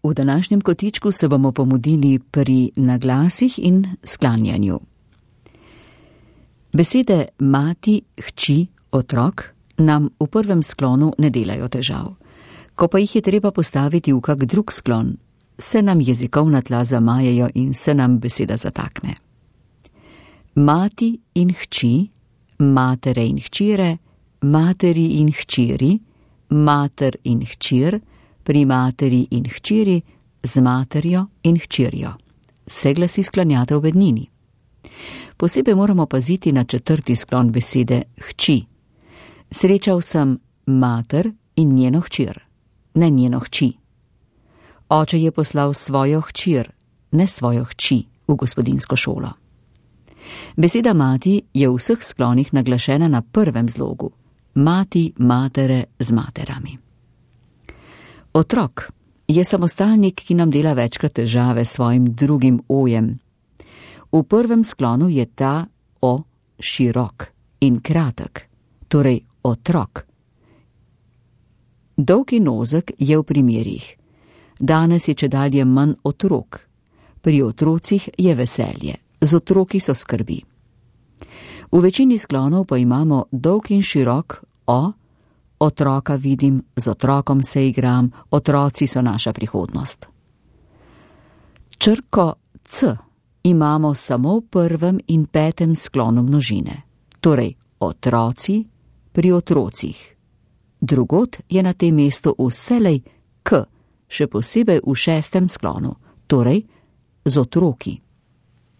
V današnjem kotičku se bomo pomudili pri naglasih in sklanjanju. Besede mati, hči, otrok nam v prvem sklonu ne delajo težav. Ko pa jih je treba postaviti v kak drug sklon, se nam jezikovna tla zamajejo in se nam beseda zatakne. Mati in hči, matere in hčire, materi in hčiri, mater in hčir, pri materi in hčiri, z materjo in hčirjo. Se glasi sklanjata v bednini. Posebej moramo paziti na četrti sklon besede hči. Srečal sem mater in njeno hčir, ne njeno hči. Oče je poslal svojo hčir, ne svojo hči, v gospodinjsko šolo. Beseda mati je v vseh sklonih naglašena na prvem zlogu. Mati, matere z materami. Otrok je samostalnik, ki nam dela večkrat težave s svojim drugim ojem. V prvem sklonu je ta o širok in kratek, torej otrok. Dolg in ozek je v primerih. Danes je čedalje manj otrok. Pri otrocih je veselje, z otroki so skrbi. V večini sklonov pa imamo dolg in širok o, otroka vidim, z otrokom se igram, otroci so naša prihodnost. Črko c imamo samo v prvem in petem sklonu množine, torej otroci pri otrocih. Drugod je na tem mestu vselej k, še posebej v šestem sklonu, torej z otroki.